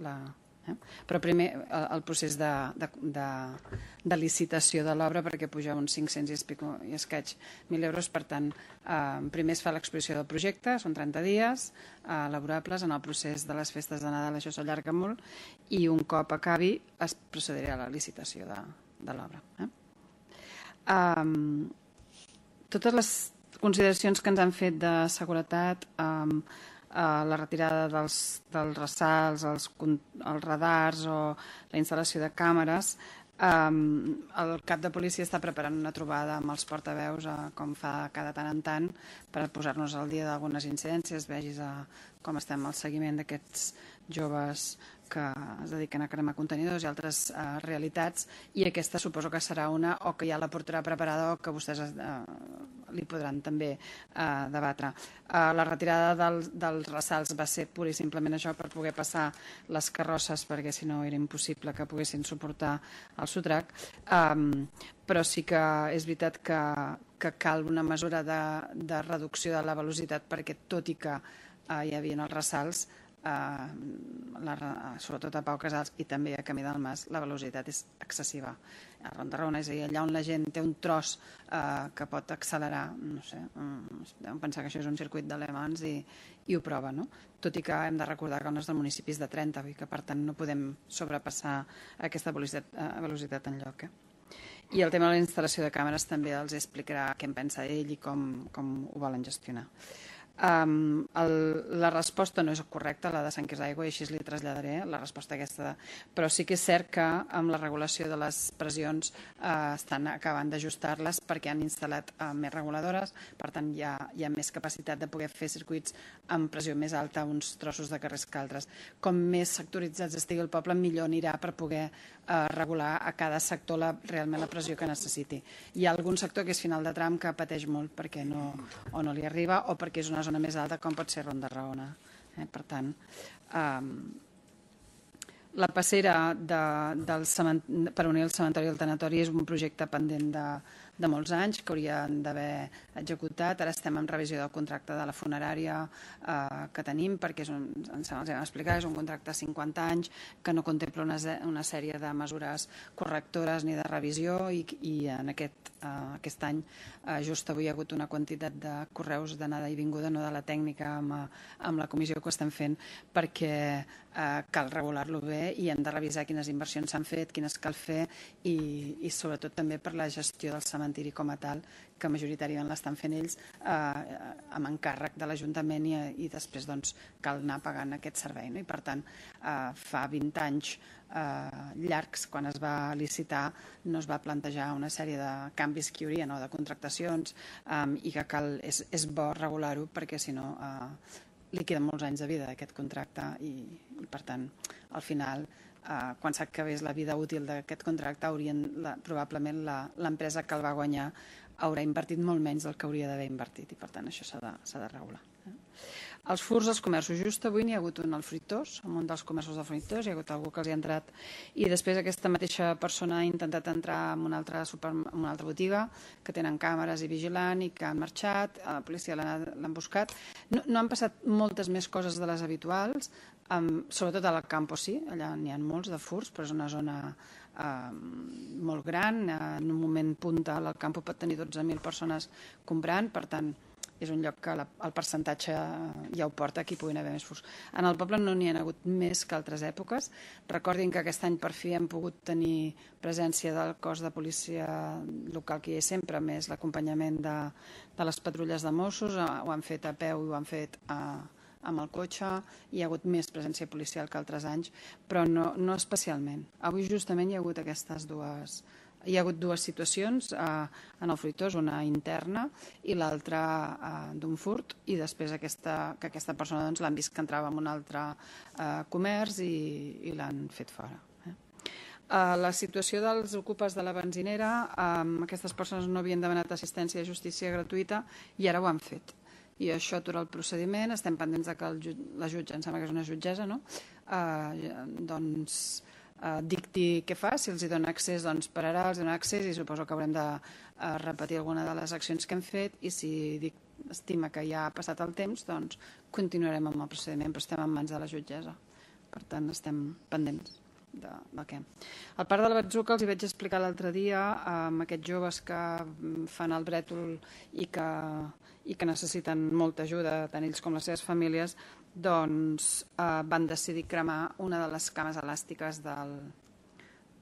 S1: Però primer el procés de licitació de l'obra perquè puja uns 500 i escaig 1.000 euros, per tant primer es fa l'exposició del projecte, són 30 dies laborables, en el procés de les festes de Nadal això s'allarga molt i un cop acabi es procedirà a la licitació de l'obra. Totes consideracions que ens han fet de seguretat, la retirada dels ressalts, els radars o la instal·lació de càmeres, el cap de policia està preparant una trobada amb els portaveus, com fa cada tant en tant, per posar-nos al dia d'algunes incidències, vegis com estem al seguiment d'aquests joves que es dediquen a cremar contenidors i altres realitats, i aquesta suposo que serà una, o que ja la portarà preparada o que vostès li podran també debatre. La retirada dels ressalts va ser pur i simplement això, per poder passar les carrosses, perquè si no era impossible que poguessin suportar el sotrac, però sí que és veritat que cal una mesura de reducció de la velocitat, perquè tot i que hi havia els ressalts, sobretot a Pau Casals i també a Camí del Mas, la velocitat és excessiva. A Ronda Raona, és a dir, allà on la gent té un tros que pot accelerar, no sé, deuen pensar que això és un circuit de Le Mans i ho prova, no? Tot i que hem de recordar que el nostre municipi és de 30, i que per tant no podem sobrepassar aquesta velocitat enlloc. I el tema de la instal·lació de càmeres també els explicarà què en pensa ell i com ho volen gestionar. La resposta no és correcta, la de Sant Quirze d'Aigua, i així li traslladaré la resposta aquesta, però sí que és cert que amb la regulació de les pressions estan acabant d'ajustar-les perquè han instal·lat més reguladores, per tant hi ha més capacitat de poder fer circuits amb pressió més alta a uns trossos de carrers que altres. Com més sectoritzats estigui el poble, millor anirà per poder regular a cada sector realment la pressió que necessiti. Hi ha algun sector que és final de tram que pateix molt perquè o no li arriba o perquè és una zona més alta, com pot ser Ronda Raona. Per tant, la passera per unir el cementeri i el tanatori és un projecte pendent de molts anys que haurien d'haver executat. Ara estem en revisió del contracte de la funerària que tenim, perquè ens hem explicat, és un contracte de 50 anys que no contempla una sèrie de mesures correctores ni de revisió, i en aquest any just avui hi ha hagut una quantitat de correus d'anada i vinguda, no de la tècnica, amb la comissió que ho estem fent, perquè cal regular-lo bé i hem de revisar quines inversions s'han fet, quines cal fer, i sobretot també per la gestió del cementiri com a tal, que majoritàriament l'estan fent ells amb encàrrec de l'Ajuntament, i després cal anar pagant aquest servei. I per tant, fa 20 anys llargs, quan es va licitar, no es va plantejar una sèrie de canvis que hi haurien o de contractacions, i que és bo regular-ho, perquè si no li queden molts anys de vida d'aquest contracte, i per tant, al final, quan s'acabés la vida útil d'aquest contracte, probablement l'empresa que el va guanyar haurà invertit molt menys del que hauria d'haver invertit, i per tant això s'ha de regular. Els furts als comerços. Just avui n'hi ha hagut un al Fruitós, en un dels comerços del Fruitós, hi ha hagut algú que els hi ha entrat, i després aquesta mateixa persona ha intentat entrar en una altra botiga, que tenen càmeres i vigilant, i que han marxat, la policia l'han buscat. No han passat moltes més coses de les habituals, sobretot al Campo sí, allà n'hi ha molts de furts, però és una zona molt gran, en un moment punta el Campo pot tenir 12.000 persones comprant, per tant és un lloc que el percentatge ja ho porta, que hi puguin haver més furts. En el poble no n'hi ha hagut més que altres èpoques. Recordin que aquest any per fi hem pogut tenir presència del cos de policia local que hi és sempre, més l'acompanyament de les patrulles de Mossos, ho han fet a peu i ho han fet amb el cotxe, hi ha hagut més presència policial que altres anys, però no especialment. Avui justament hi ha hagut dues situacions en el Fruitós, una interna i l'altra d'un furt, i després que aquesta persona l'han vist que entrava en un altre comerç i l'han fet fora. La situació dels ocupes de la benzinera, aquestes persones no havien demanat assistència de justícia gratuïta i ara ho han fet. I això atura el procediment, estem pendents que la jutge, em sembla que és una jutgessa, no? Dicti què fa, si els hi dona accés pararà, els dona accés, i suposo que haurem de repetir alguna de les accions que hem fet, i si estima que ja ha passat el temps, continuarem amb el procediment, però estem en mans de la jutgessa, per tant estem pendents del què. El parc de la Batzuca els hi vaig explicar l'altre dia, amb aquests joves que fan el brètol i que necessiten molta ajuda, tant ells com les seves famílies, van decidir cremar una de les cames elàstiques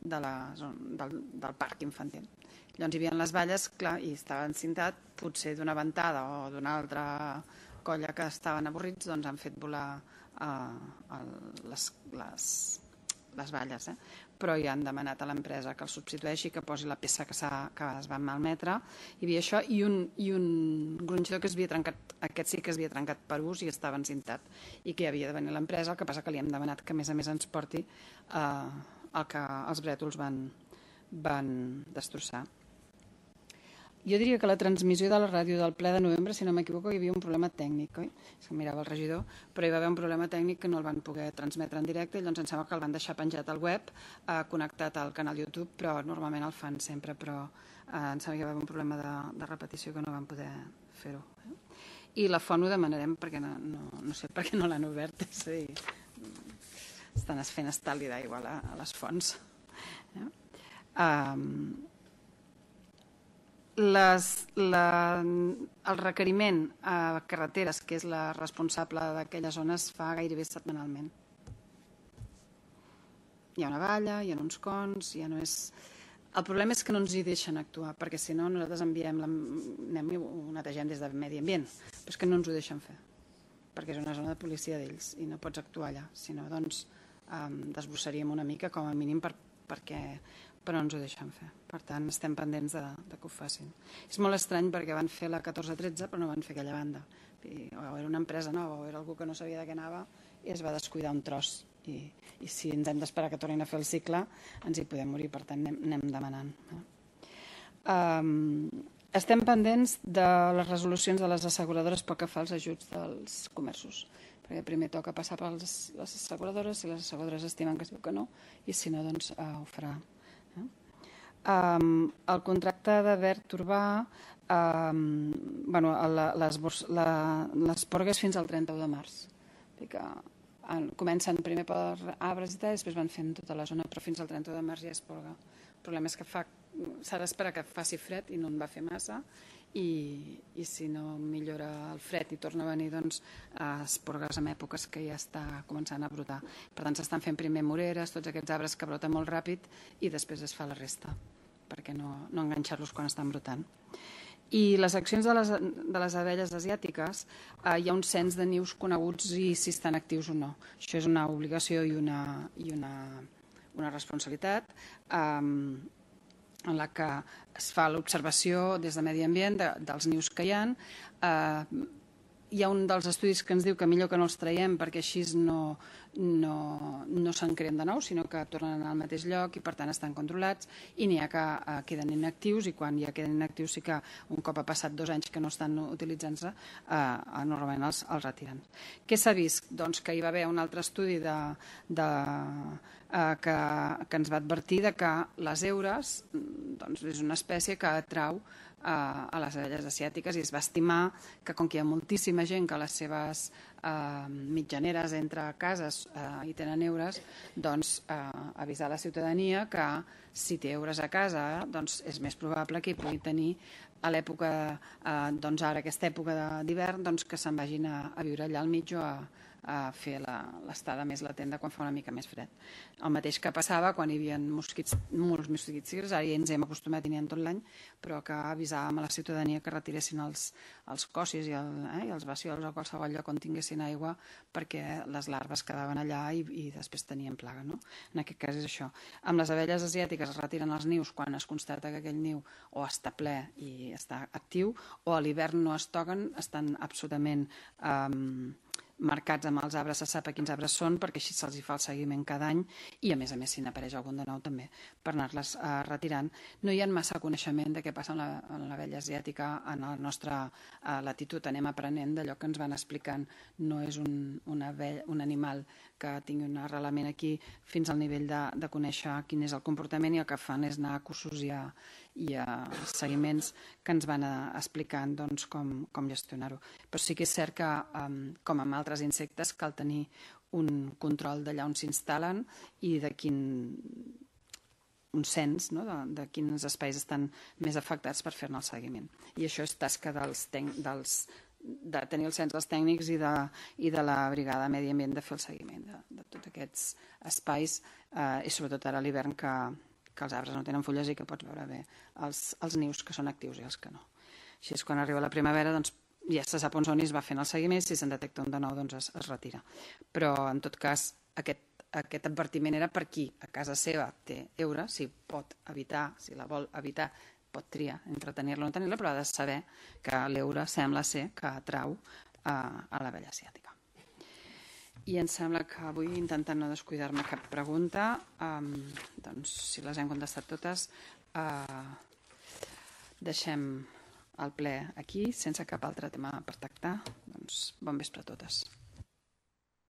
S1: del parc infantil. Llavors hi havia les valles, clar, i estava encintat, potser d'una ventada o d'una altra colla que estaven avorrits, doncs han fet volar les valles, però ja han demanat a l'empresa que el substitueixi, que posi la peça que es va malmetre. Hi havia això i un gronxador que es havia trencat, aquest sí que es havia trencat per ús i estava encintat i que havia de venir l'empresa, el que passa que li hem demanat que a més ens porti el que els brètols van destrossar. Jo diria que la transmissió de la ràdio del ple de novembre, si no m'equivoco, hi havia un problema tècnic, oi? És que mirava el regidor, però hi va haver un problema tècnic que no el van poder transmetre en directe i llavors em sembla que el van deixar penjat al web, connectat al canal YouTube, però normalment el fan sempre, però em sembla que hi va haver un problema de repetició que no van poder fer-ho. I la font ho demanarem perquè no sé per què no l'han obert, és a dir, estan fent estalvi d'aigua a les fonts. El requeriment a carreteres, que és la responsable d'aquella zona, es fa gairebé setmanalment. Hi ha una valla, hi ha uns cons, ja no és... El problema és que no ens hi deixen actuar, perquè si no nosaltres anem i ho netegem des de Medi Ambient, però és que no ens ho deixen fer, perquè és una zona de policia d'ells i no pots actuar allà, si no doncs desbrossaríem una mica com a mínim però no ens ho deixen fer. Per tant, estem pendents de que ho facin. És molt estrany perquè van fer la 14-13 però no van fer aquella banda. O era una empresa nova o era algú que no sabia de què anava i es va descuidar un tros. I si ens hem d'esperar que tornin a fer el cicle ens hi podem morir, per tant anem demanant. Estem pendents de les resolucions de les asseguradores pel que fa als ajuts dels comerços, perquè primer toca passar per les asseguradores, si les asseguradores estimen que es diu que no, i si no, doncs ho farà. El contracte de verd urbà, les porgues fins al 31 de març. Comencen primer per arbres i tal, després van fent tota la zona, però fins al 31 de març ja es porga. El problema és que s'ha d'esperar que faci fred i no en va fer massa, i si no millora el fred i torna a venir, doncs es porgues en èpoques que ja està començant a brotar. Per tant, s'estan fent primer moreres, tots aquests arbres que broten molt ràpid, i després es fa la resta, perquè no enganxar-los quan estan brotant. I les accions de les abelles asiàtiques, hi ha un cens de nius coneguts i si estan actius o no. Això és una obligació i una responsabilitat en la que es fa l'observació des de Medi Ambient dels nius que hi ha. Hi ha un dels estudis que ens diu que millor que no els traiem perquè així no se'n creen de nou, sinó que tornen al mateix lloc i per tant estan controlats, i n'hi ha que queden inactius, i quan ja queden inactius sí que un cop ha passat 2 anys que no estan utilitzant-se, normalment els retiren. Què s'ha vist? Doncs que hi va haver un altre estudi que ens va advertir que les eures és una espècie que atrau a les abelles asiàtiques, i es va estimar que com que hi ha moltíssima gent que a les seves mitjaneres entre cases hi tenen eures, doncs avisar la ciutadania que si té eures a casa doncs és més probable que hi pugui tenir a l'època, doncs ara aquesta època d'hivern, doncs que se'n vagin a viure allà al mig o a fer l'estada més latent de quan fa una mica més fred. El mateix que passava quan hi havia molts mosquits tigres, ara ja ens hem acostumat i n'hi ha tot l'any, però que avisàvem a la ciutadania que retiressin els cossis i els bassiols o qualsevol lloc on tinguessin aigua, perquè les larves quedaven allà i després tenien plaga. En aquest cas és això. Amb les abelles asiàtiques es retiren els nius quan es constata que aquell niu o està ple i està actiu, o a l'hivern no es toquen, estan absolutament marcats amb els arbres, se sap quins arbres són perquè així se'ls fa el seguiment cada any, i a més si n'apareix algun de nou també per anar-les retirant. No hi ha massa coneixement de què passa amb l'abella asiàtica en la nostra latitud, anem aprenent d'allò que ens van explicant. No és un animal que tingui un arrelament aquí fins al nivell de conèixer quin és el comportament, i el que fan és anar a cursos i a seguiments que ens van explicant com gestionar-ho. Però sí que és cert que, com amb altres insectes, cal tenir un control d'allà on s'instal·len i de un cens de quins espais estan més afectats per fer-ne el seguiment. I això és tasca de tenir el cens dels tècnics i de la brigada de Medi Ambient de fer el seguiment de tots aquests espais, i sobretot ara a l'hivern que que els arbres no tenen fulles i que pots veure bé els nius que són actius i els que no. Així és quan arriba la primavera, doncs ja se sap on són i es va fent el seguiment, si se'n detecta un de nou doncs es retira. Però en tot cas aquest advertiment era per qui a casa seva té heura, si pot evitar, si la vol evitar, pot triar entre tenir-la o no tenir-la, però ha de saber que l'heura sembla ser que atrau a l'abella asiàtica. I em sembla que avui, intentant no descuidar-me cap pregunta, doncs si les hem contestat totes, deixem el ple aquí, sense cap altre tema per tractar. Doncs bon vespre a totes.